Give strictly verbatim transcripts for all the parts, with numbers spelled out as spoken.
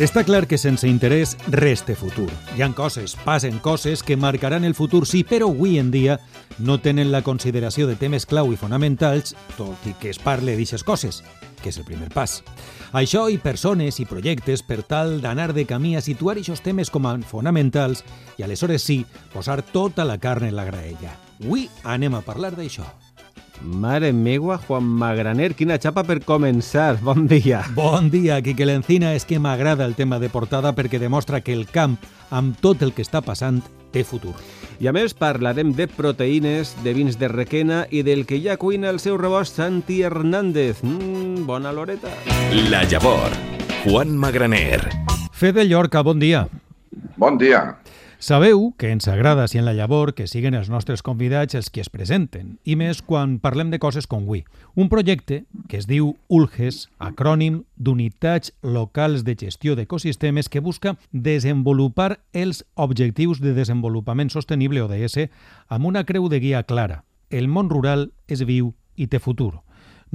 Està clar que sense interès res té futur. Hi ha coses, passen coses que marcaran el futur, sí, però avui en dia no tenen la consideració de temes clau i fonamentals, tot i que es parle d'aixes coses, que és el primer pas. Això i persones i projectes per tal d'anar de camí a situar aquests temes com a fonamentals i aleshores sí, posar tota la carn en la graella. Avui anem a parlar d'això. Mare meua, Juan Magraner, quina xapa per començar. Bon dia. Bon dia, Quique Lencina. És que m'agrada el tema de portada perquè demostra que el camp, amb tot el que està passant, té futur. I a més parlarem de proteïnes, de vins de Requena i del que ja cuina el seu rebost Santi Hernández. Mm, bona l'horeta. La Llavor, Juan Magraner. Fede Llorca, bon dia. Bon dia. Sabeu que ens agrada, si en la Llavor, que siguen els nostres convidats els que es presenten, i més quan parlem de coses com avui. Un projecte que es diu ULGES, acrònim d'Unitats Locals de Gestió d'Ecosistemes, que busca desenvolupar els Objectius de Desenvolupament Sostenible, O D S, amb una creu de guia clara. El món rural és viu i té futur.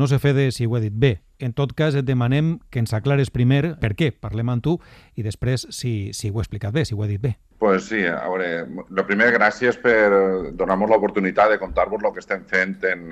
No sé, Fede, si ho he dit bé. En tot cas, et demanem que ens aclares primer per què parlem amb tu i després si, si ho he explicat bé, si ho he dit bé. Pues sí, a veure, lo primer, gràcies per donar-nos l'oportunitat de contar-vos el que estem fent en,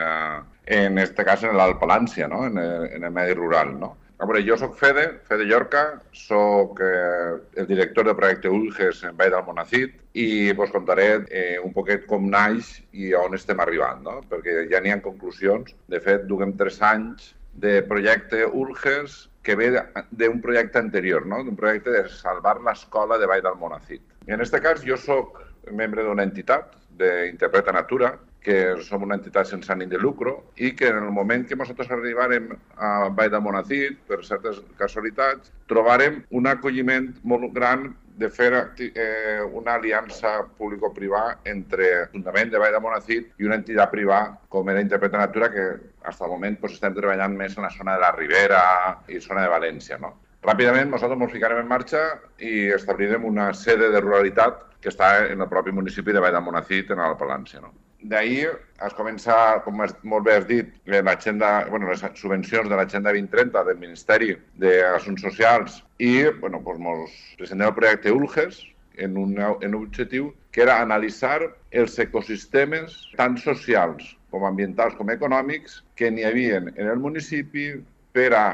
en este cas en l'Alt Palància, no? en, el, en el medi rural. No? A veure, jo soc Fede, Fede Llorca, soc eh, el director del projecte ULGES en Vall d'Almonacid i vos contaré eh, un poquet com naix i on estem arribant, no? Perquè ja n'hi ha conclusions. De fet, duguem tres anys de projecte ULGES que ve d'un projecte anterior, no? D'un projecte de salvar l'escola de Vall d'Almonacid. I en aquest cas jo soc membre d'una entitat d'Interpreta Natura, que som una entitat sense ànim de lucro i que en el moment que nosaltres arribarem a Vall d'Almonacid, per certes casualitats, trobarem un acolliment molt gran de fer eh, una aliança público-privada entre l'Ajuntament de Vall d'Almonacid i una entitat privada com era Interpreta Natura, que fins al moment pues, estem treballant més en la zona de la Ribera i zona de València. No? Ràpidament nosaltres ens ficarem en marxa i establirem una sede de ruralitat que està en el propi municipi de Vall d'Almonacid, en l'Alt Palància. No? D'ahir es comença, com molt bé has dit, l'agenda, bueno, les subvencions de l'Agenda vint trenta del Ministeri d'Assumptes Socials i bueno, doncs ens presentem el projecte ULGES en un, en un objectiu que era analitzar els ecosistemes tant socials com ambientals com econòmics que n'hi havia en el municipi per a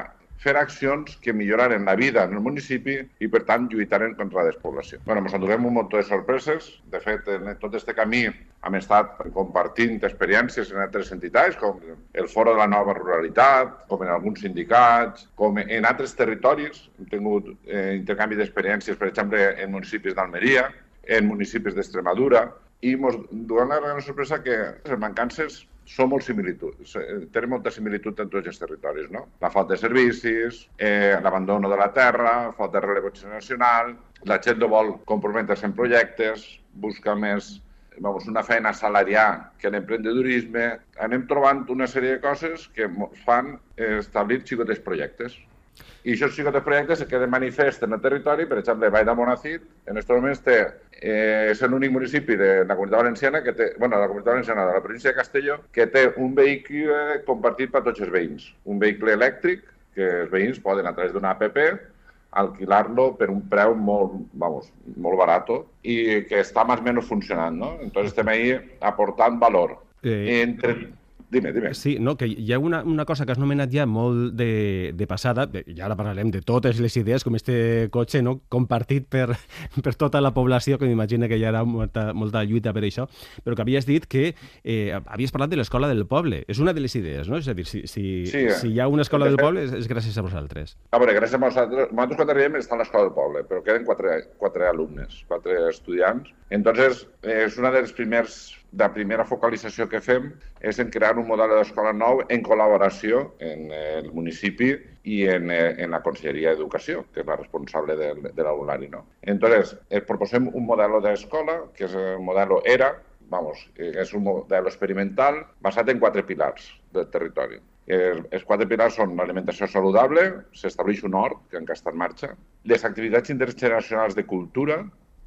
fer accions que milloraren la vida en el municipi i, per tant, lluitaren contra la despoblació. Bueno, ens endurem un munt de sorpreses. De fet, en tot aquest camí hem estat compartint experiències en altres entitats, com el Foro de la Nova Ruralitat, com en alguns sindicats, com en altres territoris. Hem tingut eh, intercanvi d'experiències, per exemple, en municipis d'Almeria, en municipis d'Extremadura, i ens donem la gran sorpresa que les mancances són molt similituds, tenen molta similitud en tots els territoris, no? La falta de servicis, eh, l'abandono de la terra, falta de relleu generacional, la gent no vol comprometre's en projectes, busca més vamos, una feina salarial que l'emprendedorisme. Anem trobant una sèrie de coses que fan establir xicotes projectes. I aquests xicotes projectes se queden manifest en el territori. Per exemple, Vall d'Almonacid, en aquests moments té, eh, és l'únic municipi de la Comunitat Valenciana, que té, bueno, de la Comunitat Valenciana de la província de Castelló, que té un vehicle compartit per tots els veïns. Un vehicle elèctric que els veïns poden, a través d'una app, alquilar-lo per un preu molt, vamos, molt barat i que està més o menys funcionant, no? Entonces estem ahí aportant valor. Eh... Entre... Dime, dime. Sí, no, que hi ha una, una cosa que has nomenat ja molt de, de passada, i ara parlarem de totes les idees, com este cotxe, no?, compartit per, per tota la població, que m'imagino que hi haurà molta, molta lluita per això, però que havies dit que eh, havies parlat de l'escola del poble. És una de les idees, no? És a dir, si, si, sí, si hi ha una escola del poble és, és gràcies a vosaltres. A veure, gràcies a vosaltres. Nosaltres quan arribem està a l'escola del poble, però queden quatre, quatre alumnes, quatre estudiants. Entonces, és una de les primers la primera focalització que fem és en crear un model d'escola nou en col·laboració en el municipi i en, en la Conselleria d'Educació, que és la responsable de, de l'alumnari. No? Entonces, proposem un model d'escola, que és el model ERA, vamos, és un model experimental basat en quatre pilars del territori. Els quatre pilars són l'alimentació saludable, s'estableix un hort, que encara està en marxa, les activitats intergeneracionals de cultura,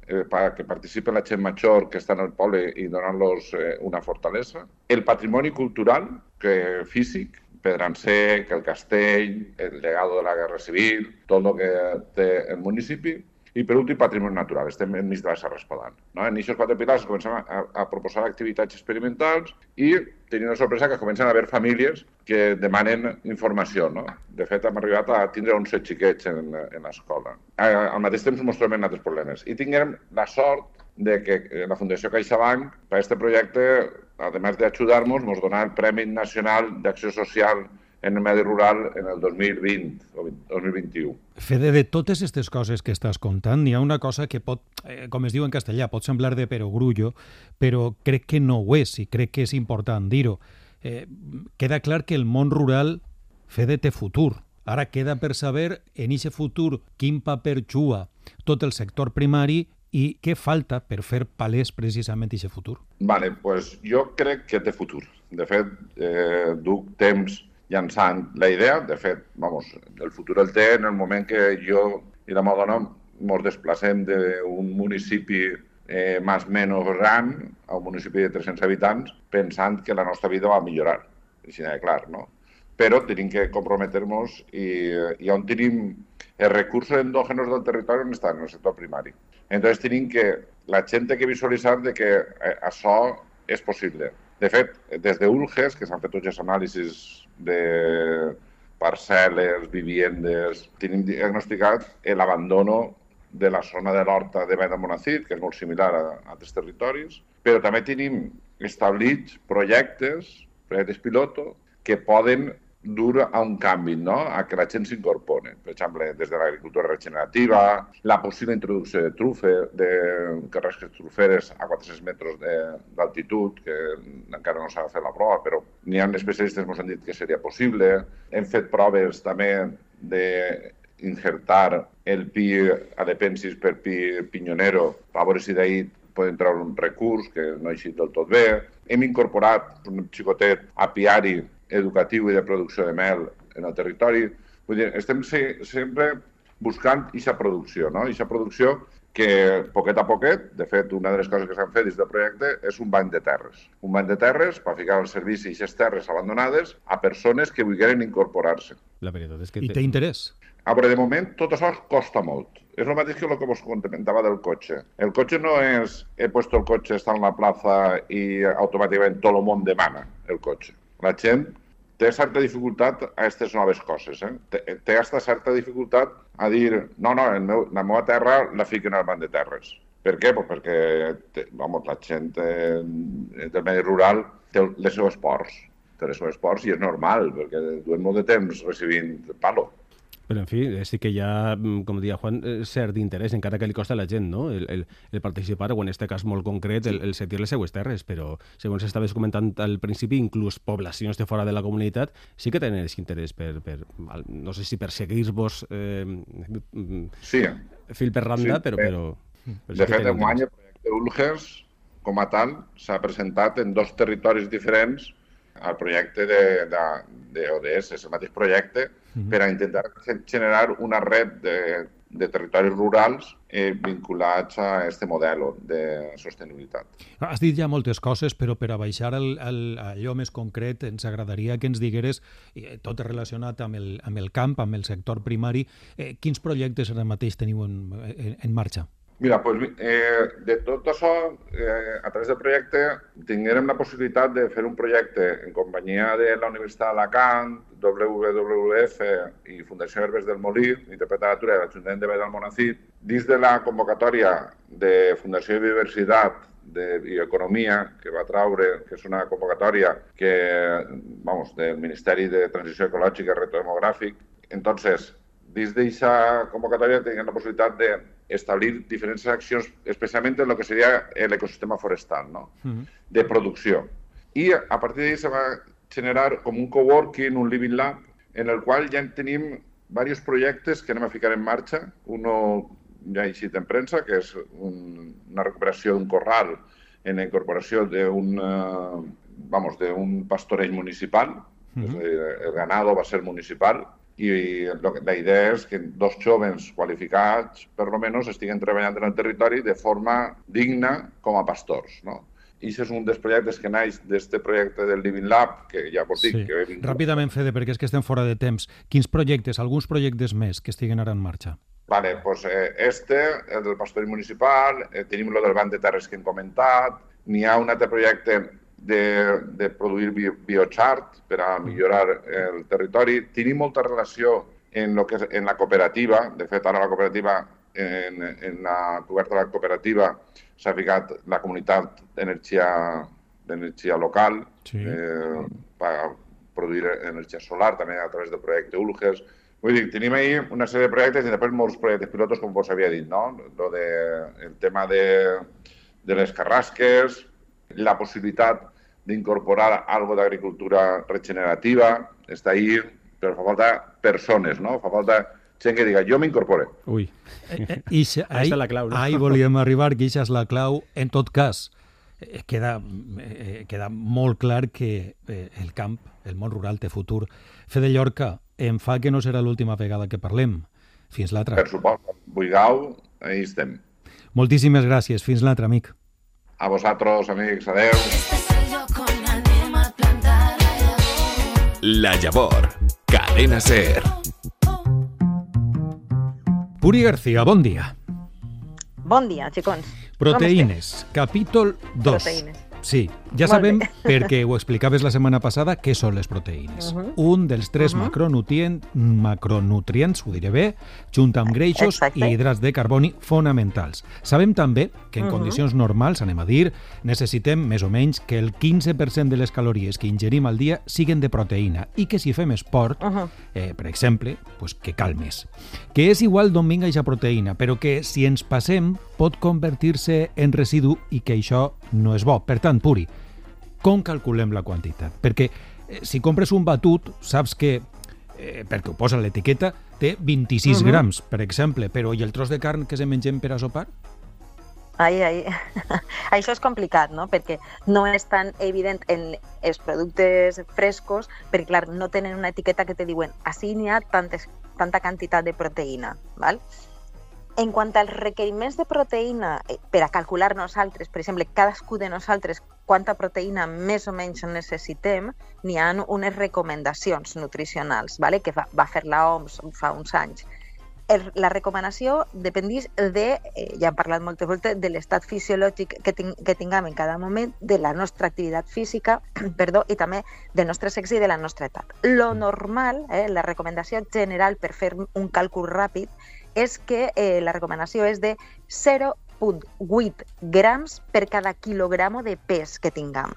eh, que participi la gent major que està en el poble i donant-los eh, una fortalesa. El patrimoni cultural, que físic, Pedransec, el castell, el legado de la Guerra Civil, tot el que té el municipi, i per últim, patrimoni natural. Estem enmig de la Serra Espadana. No? En aquests quatre pilars comencem a, a proposar activitats experimentals i tenim una sorpresa que comencen a haver famílies que demanen informació. No? De fet, hem arribat a tindre onze xiquets en, en l'escola. Al mateix temps ens trobem altres problemes. I tinguem la sort de que la Fundació CaixaBank, per aquest projecte, a més d'ajudar-nos, ens donarà el Premi Nacional d'Acció Social en el medi rural en el dos mil vint o dos mil vint-i-u. Fede, de totes aquestes coses que estàs contant, n'hi ha una cosa que pot, eh, com es diu en castellà, pot semblar de perogrullo, però crec que no ho és i crec que és important dir-ho. Eh, queda clar que el món rural, Fede, té futur. Ara queda per saber en aquest futur quin paper juga tot el sector primari i què falta per fer palès precisament aquest futur. Vale, pues jo crec que té futur. De fet, eh, duc temps llançant la idea. De fet, vamos, el futur el té en el moment que jo i la meva dona ens desplacem d'un municipi eh, més o menys gran a un municipi de tres-cents habitants pensant que la nostra vida va millorar. Així de clar, no? Però tenim que comprometre-nos i, i on tenim els recursos endògenos del territori on estan, en el sector primari. Entonces tenim que, la gent té que visualitzar de que això és possible. De fet, des d'Ulges, que s'han fet tots els anàlisis de parcel·les, viviendes, tenim diagnosticat l'abandono de la zona de l'Horta de Vall d'Almonacid, que és molt similar a altres territoris, però també tenim establits projectes, projectes piloto, que poden dur a un canvi, no? A que la gent s'incorpori. Per exemple, des de l'agricultura regenerativa, la possible introducció de trufe, de carrasques truferes a quatre-cents metres d'altitud, que encara no s'ha fet la prova, però n'hi ha especialistes que ens han dit que seria possible. Hem fet proves també d'injertar el pi alepensis per pi pinyonero, a veure si d'ahir poden treure un recurs que no ha eixit del tot bé. Hem incorporat un xicotet apiari educatiu i de producció de mel en el territori. Vull dir, estem sempre buscant aquesta producció, no? Aquesta producció que, poquet a poquet, de fet, una de les coses que s'han fet des del projecte és un banc de terres. Un banc de terres per ficar al servici aquestes terres abandonades a persones que vulguin incorporar-se. La veritat és que... I té interès? A veure, de moment, tot això costa molt. És el mateix que el que vos comentava del cotxe. El cotxe no és he puesto el cotxe, està en la plaça i automàticament tot el món demana el cotxe. La gent té certa dificultat a aquestes noves coses. Eh? Té, té aquesta certa dificultat a dir no, no, el meu, la meva terra la fiquen al banc de terres. Per què? Pues perquè té, vamos, la gent eh, del medi rural té les seves ports. Té les seves ports i és normal, perquè duem molt de temps recibint palo. Però, en fi, sí que hi ha, com deia Juan, cert interès, encara que li costa a la gent, no? El, el, el participar, o en aquest cas molt concret, el, el sentir les seues terres, però, segons estaves comentant al principi, inclús poblacions de fora de la comunitat sí que tenen aquest interès per, per no sé si per seguir-vos eh, sí. fil per randa, sí, però... però, però de fet, enguany el projecte Ulges, com a tal, s'ha presentat en dos territoris diferents al projecte d'O D S, és el mateix projecte, mm-hmm. per a intentar generar una red de, de territoris rurals eh, vinculats a aquest model de sostenibilitat. Has dit ja moltes coses, però per a baixar el, el, allò més concret ens agradaria que ens digueres, eh, tot relacionat amb el, amb el camp, amb el sector primari, eh, quins projectes ara mateix teniu en, en, en marxa? Mira, pues, eh, de tot això, eh, a través del projecte, tinguérem la possibilitat de fer un projecte en companyia de la Universitat d'Alacant, W W F i Fundació Herbes del Molí, Interpret de Natura i l'Ajuntament de Vall d'Almonacid, dins de la convocatòria de Fundació de Biodiversitat de Bioeconomia, que va traure, que és una convocatòria que, vamos, del Ministeri de Transició Ecològica i Reto Demogràfic. Entonces, dins d'aquesta convocatòria tenim la possibilitat de establir diferents accions, especialment en el que seria l'ecosistema forestal, no? Uh-huh. De producció. I a partir d'ahí se va generar com un coworking, un living lab, en el qual ja tenim diversos projectes que anem a ficar en marxa. Uno ja ha eixit en premsa, que és un, una recuperació d'un corral en la incorporació d'un uh, vamos, d'un pastoreig municipal. Uh-huh. És a dir, el ganado va ser municipal. I la idea és que dos jóvens qualificats, per lo menos, estiguen treballant en el territori de forma digna com a pastors, no? i això és un dels projectes que naix d'aquest projecte del Living Lab, que ja vos dic... Sí. Que he vingut. Ràpidament, Fede, perquè és que estem fora de temps. Quins projectes, alguns projectes més que estiguen ara en marxa? Vale, pues eh, este, el del pastorell municipal, eh, tenim el del banc de terres que hem comentat, n'hi ha un altre projecte de, de produir bi biochart per a millorar el territori. Tenim molta relació en, lo que és, en la cooperativa, de fet ara la cooperativa, en, en la coberta de la cooperativa s'ha ficat la comunitat d'energia d'energia local, sí. eh, per produir energia solar, també a través del projecte Ulges. Vull dir, tenim ahí una sèrie de projectes i després molts projectes pilotos, com vos havia dit, no? Lo de, el tema de, de les carrasques, la possibilitat d'incorporar algo d'agricultura regenerativa, està ahí, però fa falta persones, no? Fa falta gent que diga, jo m'incorpore. Ui, eh, ixa, ahí està la clau, no? Ahí volíem arribar, que això és la clau. En tot cas, eh, queda, eh, queda molt clar que eh, el camp, el món rural, té futur. Fede Llorca, em fa que no serà l'última vegada que parlem. Fins l'altra. Per supost. Buigau, ahí estem. Moltíssimes gràcies. Fins l'altre, amic. A vosaltres, amics. Adeu. La Llavor. Cadena SER. Puri García, bon dia. Bon dia, xicons. Proteïnes, capítol dos. Proteïnes. Sí, ja Molt sabem, bé. perquè ho explicaves la setmana passada, què són les proteïnes. Uh -huh. Un dels tres Uh -huh. macronutrient, macronutrients, ho diré bé, junt amb greixos Exacte. i hidrats de carboni fonamentals. Sabem també que en Uh -huh. condicions normals, anem a dir, necessitem més o menys que el quinze per cent de les calories que ingerim al dia siguen de proteïna i que si fem esport, Uh -huh. eh, per exemple, pues que cal més. Que és igual d'on vinga aquesta proteïna, però que si ens passem pot convertir-se en residu i que això no és bo. Per tant, Puri, com calculem la quantitat? Perquè eh, si compres un batut, saps que, eh, perquè ho posa a l'etiqueta, té vint-i-sis Uh -huh. grams, per exemple, però i el tros de carn que se mengem per a sopar? Ai, ai. Això és complicat, no? Perquè no és tan evident en els productes frescos, perquè, clar, no tenen una etiqueta que te diuen així n'hi ha tantes, tanta quantitat de proteïna, val? En quant als requeriments de proteïna, eh, per a calcular nosaltres, per exemple, cadascú de nosaltres quanta proteïna més o menys necessitem, n'hi ha unes recomanacions nutricionals, vale? Que va, va fer la O M S fa uns anys. El, la recomanació dependís de, eh, ja hem parlat moltes voltes, de l'estat fisiològic que, ting, que tinguem en cada moment, de la nostra activitat física, perdó, i també del nostre sexe i de la nostra edat. Lo normal, eh, la recomanació general per fer un càlcul ràpid, és que eh, la recomanació és de zero coma vuit grams per cada quilogramo de pes que tinguem.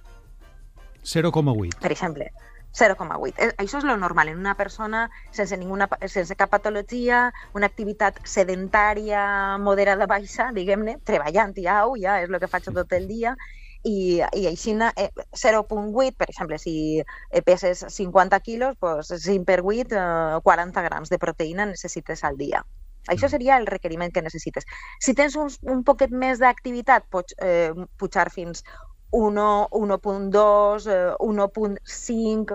zero coma vuit. Per exemple, zero coma vuit. Això és lo normal en una persona sense, ninguna, sense cap patologia, una activitat sedentària moderada baixa, diguem-ne, treballant i au, ja és el que faig tot el dia, i, i així eh, zero coma vuit, per exemple, si peses cinquanta quilos, doncs cinc per vuit, eh, quaranta grams de proteïna necessites al dia. Això seria el requeriment que necessites. Si tens un, un poquet més d'activitat, pots eh, pujar fins u no coma dos, eh, u no coma cinc.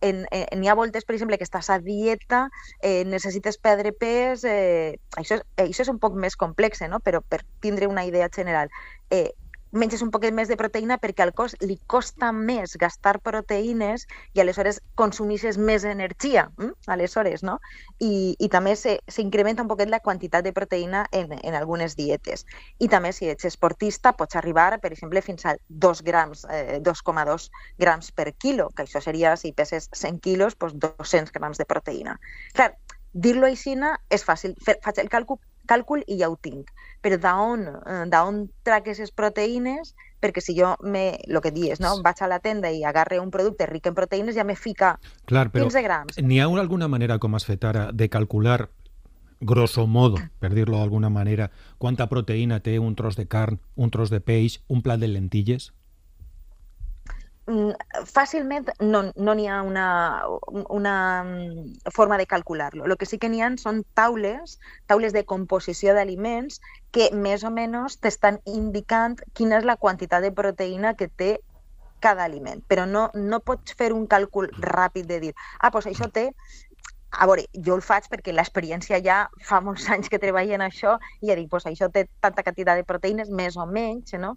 Eh? N'hi ha voltes, per exemple, que estàs a dieta, eh, necessites perdre pes. Eh, això, és, això és un poc més complex, no? Però per tindre una idea general. Eh, menges un poquet més de proteïna perquè al cos li costa més gastar proteïnes i aleshores consumixes més energia, hm? aleshores, no? I, i també s'incrementa un poquet la quantitat de proteïna en, en algunes dietes. I també si ets esportista pots arribar, per exemple, fins a dos grams, eh, dos coma dos grams per quilo, que això seria, si peses cent quilos, doncs dos-cents grams de proteïna. Clar, dir-lo així és fàcil, faig el càlcul càlcul i ja ho tinc. Però d'on d'on trac aquestes proteïnes? Perquè si jo, me, lo que dius, no? Vaig a la tenda i agarre un producte ric en proteïnes, ja me fica Clar, però quinze grams. N'hi ha alguna manera, com has fet ara, de calcular, grosso modo, per dir-lo d'alguna manera, quanta proteïna té un tros de carn, un tros de peix, un plat de lentilles? Fàcilment no no n'hi ha una, una forma de calcular-lo. El que sí que n'hi ha són taules, taules de composició d'aliments que més o menys t'estan indicant quina és la quantitat de proteïna que té cada aliment. Però no, no pots fer un càlcul ràpid de dir, ah, doncs això té... A veure, jo el faig perquè l'experiència ja fa molts anys que treballo en això i ja dic, doncs això té tanta quantitat de proteïnes, més o menys, no?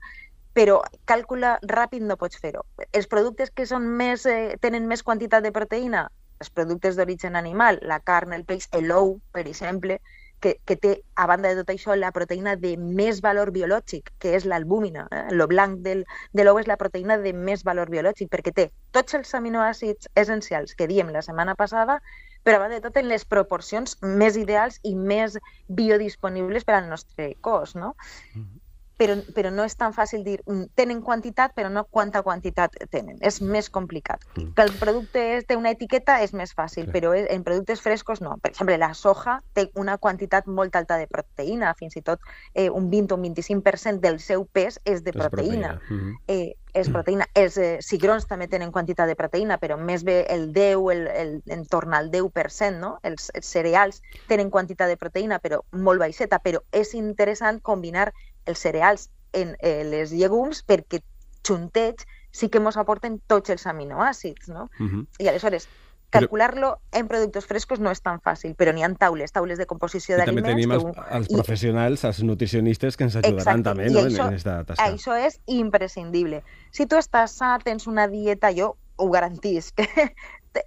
però càlcul ràpid no pots fer-ho. Els productes que són més, eh, tenen més quantitat de proteïna, els productes d'origen animal, la carn, el peix, l'ou, per exemple, que, que té, a banda de tot això, la proteïna de més valor biològic, que és l'albúmina. Eh? El blanc del, de l'ou és la proteïna de més valor biològic, perquè té tots els aminoàcids essencials que diem la setmana passada, però a banda de tot en les proporcions més ideals i més biodisponibles per al nostre cos, no? Mm-hmm. Però, però no és tan fàcil dir, tenen quantitat, però no quanta quantitat tenen. És més complicat. Mm. Que el producte té una etiqueta és més fàcil, sí. Però en productes frescos no. Per exemple, la soja té una quantitat molt alta de proteïna, fins i tot eh, un vint o un vint-i-cinc per cent del seu pes és de proteïna. És proteïna. Mm-hmm. eh, és proteïna. Els eh, cigrons també tenen quantitat de proteïna, però més bé el deu, el, el, en torn al deu per cent, no? Els, els cereals tenen quantitat de proteïna, però molt baixeta, però és interessant combinar els cereals en eh, les llegums perquè juntets sí que ens aporten tots els aminoàcids, no? Uh-huh. I aleshores, calcular-lo en productes frescos no és tan fàcil, però n'hi ha taules, taules de composició d'aliments... I també tenim els, els professionals, els nutricionistes que ens ajudaran. Exacte. També, no? Això, en aquesta tasca. Això és imprescindible. Si tu estàs sa, tens una dieta, jo ho garantisc,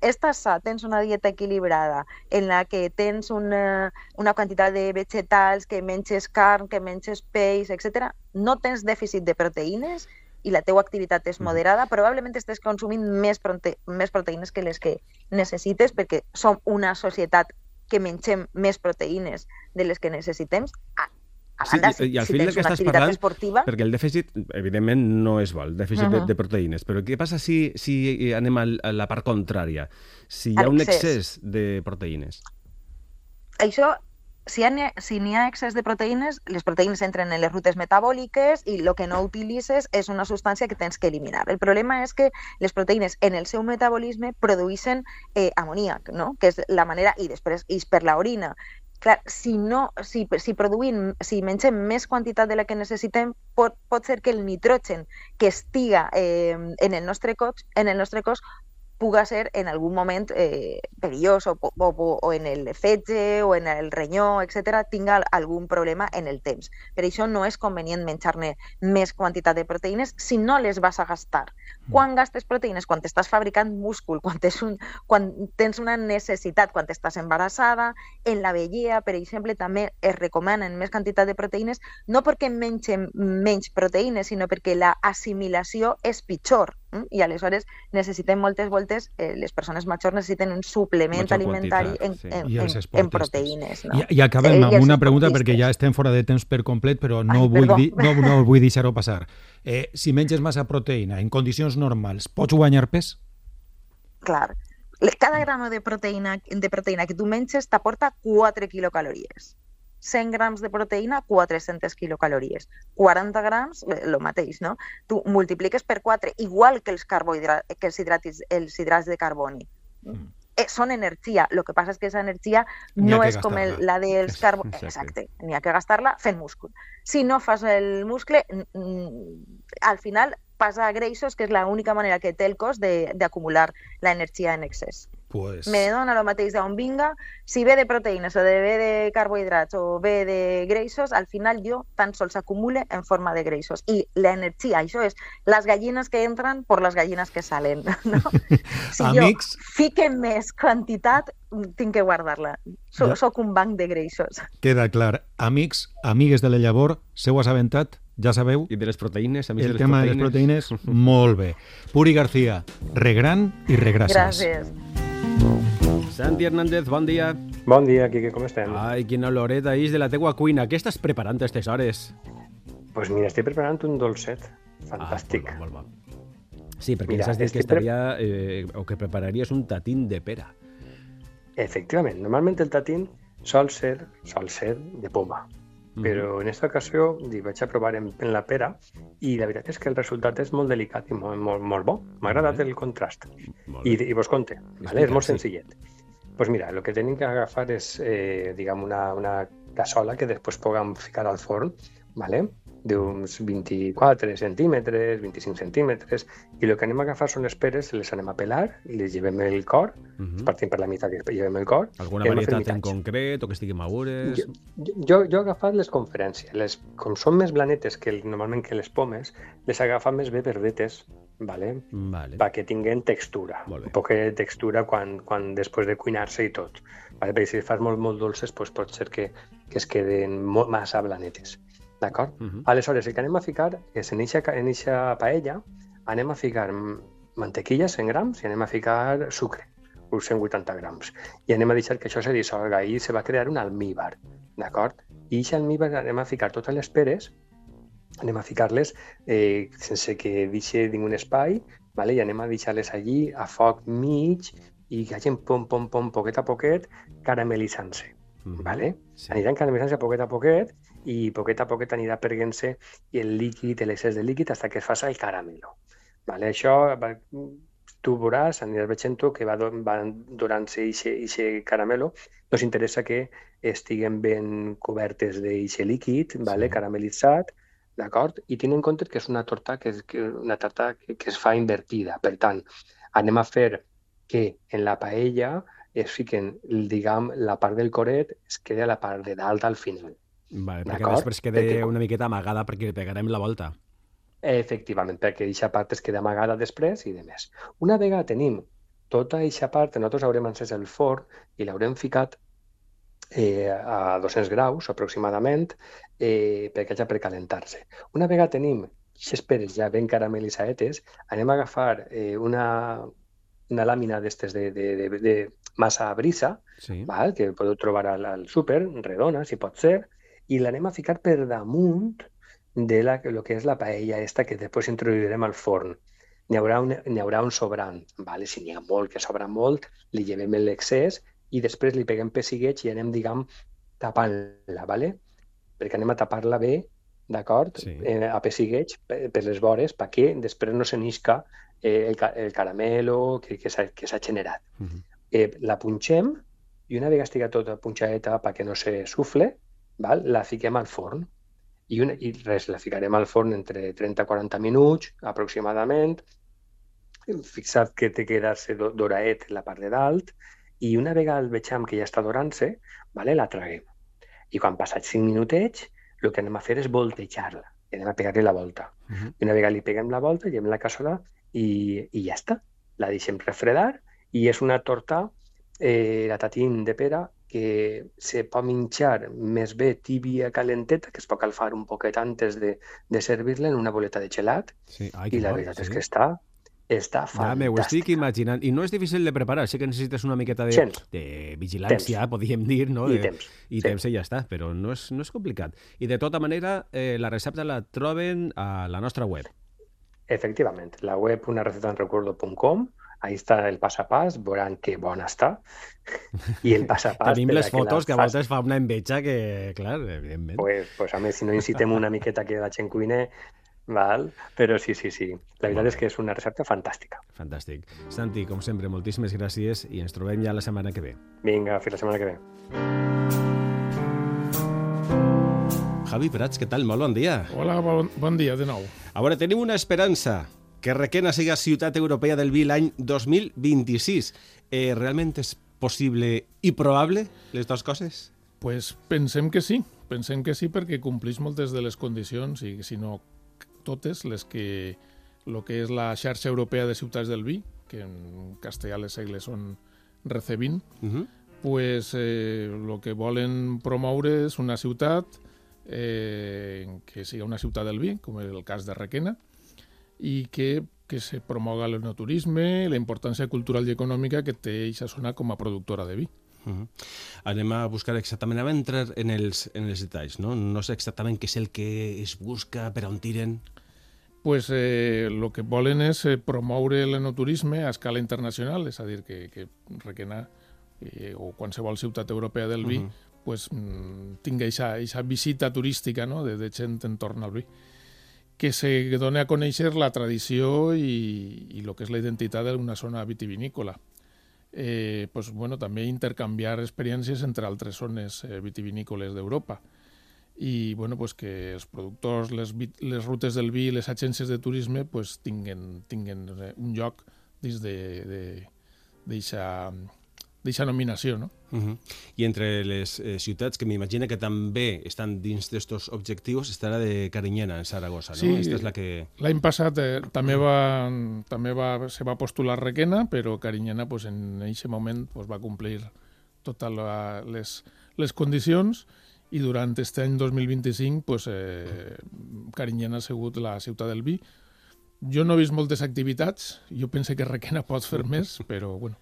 estàs sa, tens una dieta equilibrada en la que tens una, una quantitat de vegetals, que menges carn, que menges peix, etcètera, no tens dèficit de proteïnes i la teua activitat és moderada, probablement estàs consumint més, prote més proteïnes que les que necessites, perquè som una societat que mengem més proteïnes de les que necessitem. A banda, sí, i, i al si tens una activitat parlant, esportiva... Perquè el dèficit, evidentment, no és bo, el dèficit uh-huh. de, de proteïnes, però què passa si, si anem a la part contrària? Si hi ha un excés de proteïnes? Això, si n'hi ha, si ha excés de proteïnes, les proteïnes entren en les rutes metabòliques i el que no utilitzes és una substància que tens que eliminar. El problema és que les proteïnes en el seu metabolisme produeixen eh, amoníac, no? Que és la manera, i després és per l'orina. Clar, si, no, si, si, produïm, si mengem més quantitat de la que necessitem, pot, pot ser que el nitrogen que estiga eh, en, el nostre cos, en el nostre cos puga ser en algun moment eh, perillós o, o, o en el fetge o en el renyó, etcètera, tinga algun problema en el temps. Per això no és convenient menjar-ne més quantitat de proteïnes si no les vas a gastar. Quan gastes proteïnes? Quan estàs fabricant múscul, quan tens, un, quan tens una necessitat, quan estàs embarassada, en la vellea, per exemple, també es recomanen més quantitat de proteïnes, no perquè mengem menys proteïnes, sinó perquè la assimilació és pitjor. I aleshores necessitem moltes voltes, eh, les persones majors necessiten un suplement Mucha alimentari en, sí. en, en, en proteïnes. No? I, i acabem amb una pregunta perquè ja estem fora de temps per complet, però no, Ai, vull, di, no, no vull deixar-ho passar. Eh, si menges massa proteïna en condicions normals, pots guanyar pes? Clar. Cada gramo de proteïna, de proteïna que tu menges t'aporta quatre quilocalories. cent grams de proteïna, quatre-centes quilocalories. quaranta grams, el mateix, no? Tu multipliques per quatre, igual que els, que els, hidratis, els hidrats de carboni. Mm. Eh, són energia. El que passa és que aquesta energia no és com el, la dels carbonis. Exacte. N'hi ha que gastar-la fent múscul. Si no fas el muscle, al final passa a greixos, que és l'única manera que té el cos d'acumular l'energia en excés. Pues... Me dona el mateix d'on vinga, si ve de proteïnes o de ve de carbohidrats o ve de greixos, al final jo tan sols acumule en forma de greixos. I l'energia, això és les gallines que entren per les gallines que salen. No? Si Amics... jo fique més quantitat, tinc que guardar-la. So, ja. Soc un banc de greixos. Queda clar. Amics, amigues de la llavor, s'heu assabentat? Ja sabeu? I de les proteïnes, amics el de les tema proteïnes. de les proteïnes, molt bé. Puri García, regran i regràcies. Gràcies. Santi Hernández, bon dia. Bon dia, Quique, com estem? Ai, quina oloreta és de la teua cuina. Què estàs preparant a aquestes hores? Doncs pues mira, estic preparant un dolcet. Fantàstic. Ah, molt bo, molt bo. Sí, perquè mira, ens has dit que estaria, eh, o que prepararies un tatín de pera. Efectivament. Normalment el tatín sol ser, sol ser de poma. Però en aquesta ocasió vaig a provar en, en la pera i la veritat és que el resultat és molt delicat i molt, molt, molt bo. M'ha agradat el contrast. I, i vos conte, vale? És molt senzillet. Doncs pues mira, el que tenim que agafar és eh, diguem, una, una cassola que després puguem ficar al forn ¿vale? D'uns vint-i-quatre centímetres, vint-i-cinc centímetres, i el que anem a agafar són les peres, les anem a pelar i les llevem el cor, uh -huh. partim per la meitat i llevem el cor. Alguna varietat en concret o que estiguin madures? Jo, jo, jo he agafat les conferències. Les, com són més blanetes que normalment que les pomes, les he agafat més bé verdetes, ¿vale? Vale. Perquè tinguen textura, un poc de textura quan, quan després de cuinar-se i tot. Vale? Perquè si les fas molt, molt dolces, pues pot ser que, que es queden molt, massa blanetes. D'acord? Uh -huh. Aleshores, el que anem a ficar és en eixa paella anem a ficar mantequilla, cent grams, i anem a ficar sucre, uns cent vuitanta grams. I anem a deixar que això se dissolga i se va crear un almíbar, d'acord? I aquest almíbar anem a ficar totes les peres, anem a ficar-les eh, sense que deixi ningú espai, vale? I anem a deixar-les allí a foc mig i que hagin pom, pom, pom, poquet a poquet, caramelitzant-se. Mm-hmm. Vale? Sí. Aniran caramelitzant-se poquet a poquet i poquet a poquet anirà perdent-se el líquid, l'excés de líquid, fins que es faci el caramelo. Vale? Això, tu veuràs, aniràs veient que va, va donant-se aquest caramelo. Ens interessa que estiguen ben cobertes d'aquest líquid, vale? Sí. Caramelitzat, d'acord? I tenint en compte que és una torta que, que, una tarta que, que es fa invertida. Per tant, anem a fer que en la paella es fiquen, diguem, la part del coret es queda a la part de dalt al final. Vale, perquè després queda perquè... una miqueta amagada perquè li pegarem la volta. Efectivament, perquè aquesta part es queda amagada després i de més. Una vegada tenim tota aquesta part, nosaltres haurem encès el forn i l'haurem ficat eh, a dos-cents graus aproximadament eh, perquè haig de precalentar-se. Una vegada tenim aquestes peres ja ben caramelitzades, anem a agafar eh, una, una làmina d'estes de, de, de, de massa brisa, sí. Val? Que podeu trobar al, al súper, redona, si pot ser, i l'anem a ficar per damunt de la, lo que és la paella esta que després introduirem al forn. N'hi haurà, un, n'hi haurà un sobrant, vale? Si n'hi ha molt, que sobra molt, li llevem l'excés i després li peguem pessigueig i anem, diguem, tapant-la, vale? Perquè anem a tapar-la bé, d'acord? Sí. Eh, a pessigueig per, per les vores, perquè després no se n'isca eh, el, el caramelo que, que s'ha generat. Uh-huh. eh, la punxem i una vegada estigui tota punxadeta perquè no se sufle, val? La fiquem al forn. I, una, I res, la ficarem al forn entre trenta a quaranta minuts, aproximadament. Fixat que té que quedar-se doraet la part de dalt. I una vegada el vegem que ja està dorant-se, vale, la traguem. I quan passats cinc minutets, el que anem a fer és voltejar-la. I anem a pegar-li la volta. Uh-huh. I una vegada li peguem la volta, llevem la cassola i, i ja està. La deixem refredar i és una torta, eh, la tatín de pera, que se pot menjar més bé tibia calenteta, que es pot calfar un poquet antes de, de servir-la en una boleta de gelat. Sí. Ai, i la bo, veritat sí. és que està, està fantàstica. Ja m'ho estic imaginant. I no és difícil de preparar, sé que necessites una miqueta de, de vigilància, temps. Podríem dir, no? I de, temps. I sí. temps i ja està, però no és, no és complicat. I de tota manera, eh, la recepta la troben a la nostra web. Efectivament, la web una receta en recuerdo punt com. Ahí està el pas a pas, veuran que bona està. I el pas a pas... Tenim les fotos que, que a voltes fa una enveja que, clar, evidentment. Pues, pues a més, si no incitem una miqueta que la gent cuine, val? Però sí, sí, sí. La veritat és que és una recepta fantàstica. Fantàstic. Santi, com sempre, moltíssimes gràcies i ens trobem ja la setmana que ve. Vinga, fins la setmana que ve. Javi Prats, què tal? Molt bon dia. Hola, bon, bon dia de nou. A veure, tenim una esperança, que Requena siga ciutat europea del vi l'any dos mil vint-i-sis. Eh, realment és possible i probable les dues coses? Pues pensem que sí, pensem que sí perquè complís moltes de les condicions i si no totes les que lo que és la xarxa europea de ciutats del vi, que en castellà les segles són Recevin, uh-huh. pues eh, lo que volen promoure és una ciutat eh, que siga una ciutat del vi, com és el cas de Requena, i que, que se promoga l'enoturisme, la importància cultural i econòmica que té aquesta zona com a productora de vi. Uh-huh. Anem a buscar exactament, anem a entrar en els, en els detalls, no? No sé exactament què és el que es busca, per on tiren. Pues eh, lo que volen és eh, promoure l'enoturisme a escala internacional, és a dir, que, que Requena eh, o qualsevol ciutat europea del vi uh-huh. pues, mm, tingui aquesta visita turística, no? de, de gent entorn al vi, que se doni a conèixer la tradició i, i el que és la identitat d'una zona vitivinícola. Eh, pues, bueno, també intercanviar experiències entre altres zones eh, vitivinícoles d'Europa. i bueno, pues que els productors, les, les rutes del vi i les agències de turisme pues, tinguen, tinguen un lloc dins d'aquesta nominació. No? Uh-huh. I entre les eh, ciutats que m'imagino que també estan dins d'aquests objectius està la de Carinyena, en Saragossa. No? Sí, Esta és la que... l'any passat eh, també, va, també va, se va postular Requena, però Carinyena pues, en aquest moment pues, va complir totes la, les, les condicions i durant aquest any dos mil vint-i-cinc pues, eh, Carinyena ha sigut la ciutat del vi. Jo no he vist moltes activitats, jo penso que Requena pot fer més, però bueno.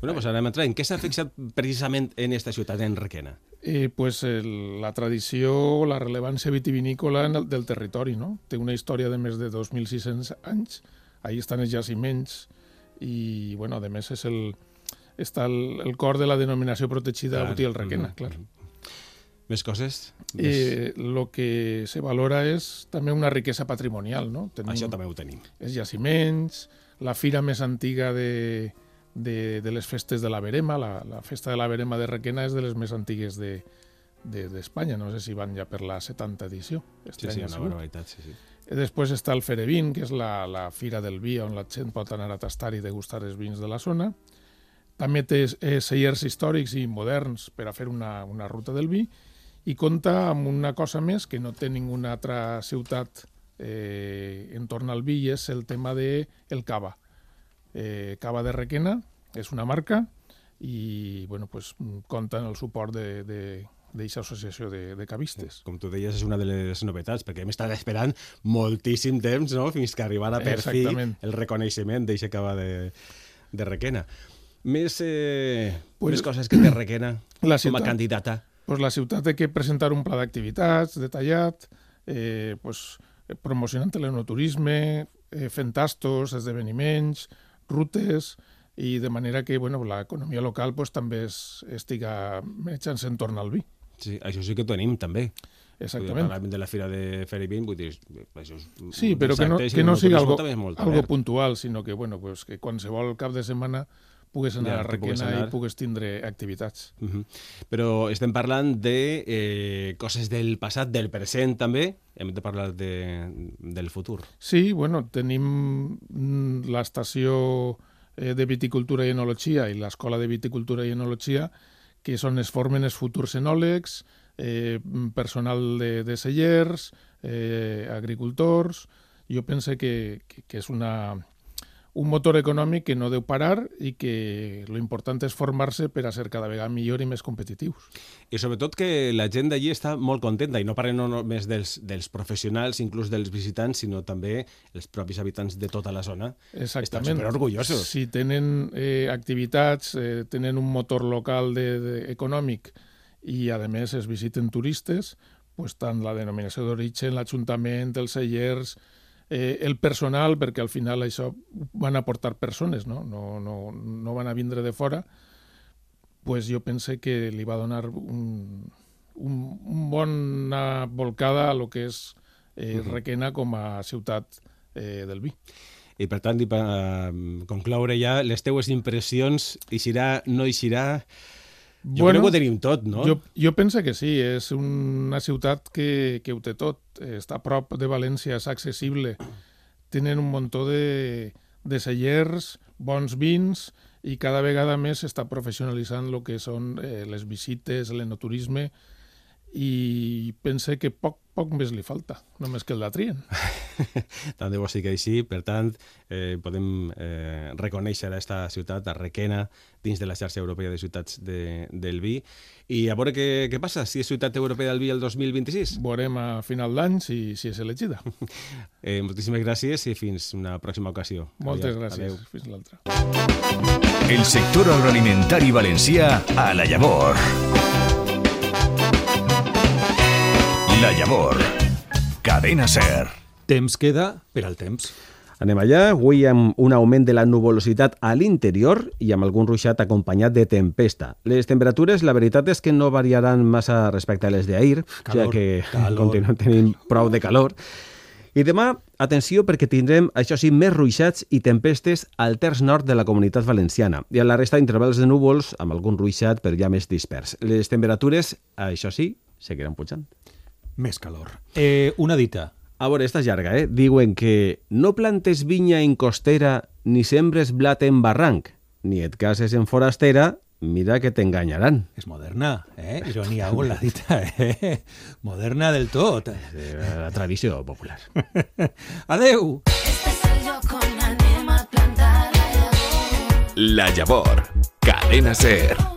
Bueno, pues anem a entrar. En què s'ha fixat precisament en aquesta ciutat, en Requena? Eh, pues el, la tradició, la rellevància vitivinícola el, del territori, no? Té una història de més de dos mil sis-cents anys, ahí estan els jaciments i, bueno, a més és el, està el, el cor de la denominació protegida clar. Botí el Requena, mm-hmm. clar. Més coses? Eh, lo que se valora és també una riquesa patrimonial, no? Tenim, Això també ho tenim. Els jaciments, la fira més antiga de, de, de les festes de la Verema, la, la festa de la Verema de Requena és de les més antigues de, de, d'Espanya, no sé si van ja per la setanta edició. Este sí, sí, una barbaritat, sí, sí. Després està el Ferevin, que és la, la fira del vi, on la gent pot anar a tastar i degustar els vins de la zona. També té eh, cellers històrics i moderns per a fer una, una ruta del vi, i compta amb una cosa més que no té ninguna altra ciutat eh, en torn al vi, i és el tema del de cava. Eh, cava de Requena és una marca i bueno, pues, compta amb el suport d'aquesta associació de, de cavistes. Com tu deies, és una de les novetats, perquè hem estat esperant moltíssim temps, no?, fins que arribara per fi el reconeixement d'aquesta cava de, de Requena. Més, eh, pues, més coses que té Requena com a candidata. Pues la ciutat té que presentar un pla d'activitats detallat, eh, pues, promocionant l'enoturisme, eh, fent tastos, esdeveniments, rutes, i de manera que bueno, l'economia local pues, també es, estiga menjant-se en torn al vi. Sí, això sí que ho tenim també. Exactament. Parlàvem de la fira de Ferevin, vull dir, això és sí, però que no, que no sigui algo, algo puntual, sinó que, bueno, pues, que qualsevol cap de setmana pugues anar ja, a Requena anar. I pugues tindre activitats. Uh-huh. Però estem parlant de eh, coses del passat, del present també, hem de parlar de, del futur. Sí, bueno, tenim l'estació de viticultura i enologia i l'escola de viticultura i enologia, que són es formen els futurs enòlegs, eh, personal de, de cellers, eh, agricultors. Jo penso que, que, que és una... un motor econòmic que no deu parar i que lo important és formar-se per a ser cada vegada millor i més competitius. I sobretot que la gent d'allí està molt contenta, i no parlem no només dels, dels professionals, inclús dels visitants, sinó també els propis habitants de tota la zona. Exactament. Estan superorgullosos. Si tenen eh, activitats, eh, tenen un motor local de, de, econòmic i, a més, es visiten turistes, pues, tant la denominació d'origen, l'Ajuntament, els cellers, Eh, el personal, perquè al final això van aportar persones, no, no, no, no van a vindre de fora, pues jo pense que li va donar un, un, un bona volcada a lo que és eh, Requena com a ciutat eh, del vi. I per tant, i per uh, concloure ja, les teues impressions, eixirà, no eixirà... Jo bueno, crec que ho tenim tot, no? Jo, jo penso que sí, és una ciutat que, que ho té tot. Està a prop de València, és accessible. Tenen un muntó de, de cellers, bons vins, i cada vegada més s'està professionalitzant el que són eh, les visites, l'enoturisme, i pense que poc, poc més li falta, només que el la trien. Tant de bo sí que així, per tant, eh, podem eh, reconèixer aquesta ciutat, a Requena, dins de la xarxa europea de ciutats de, del vi, i a veure què, què passa, si és ciutat europea del vi el dos mil vint-i-sis. Veurem a final d'any si, si és elegida. eh, moltíssimes gràcies i fins una pròxima ocasió. Moltes Adeu. gràcies. Adeu. Fins l'altra. El sector agroalimentari valencià a la llavor. La Llavor, Cadena Ser. Temps queda per al temps. Anem allà, avui amb un augment de la nuvolositat a l'interior i amb algun ruixat acompanyat de tempesta. Les temperatures, la veritat és que no variaran massa respecte a les d'ahir, ja que calor. Continuem tenint prou de calor. I demà, atenció, perquè tindrem, això sí, més ruixats i tempestes al terç nord de la Comunitat Valenciana i a la resta intervals de núvols amb algun ruixat però ja més dispers. Les temperatures, això sí, seguiran pujant. més calor. Eh, una dita. A veure, esta és llarga, eh? Diuen que no plantes vinya en costera ni sembres blat en barranc, ni et cases en forastera, mira que t'enganyaran. És moderna, eh? Ironia amb la dita, eh? Moderna del tot. La tradició popular. Adeu! Este és el lloc on anem a plantar la llavor. La Llavor, Cadena SER.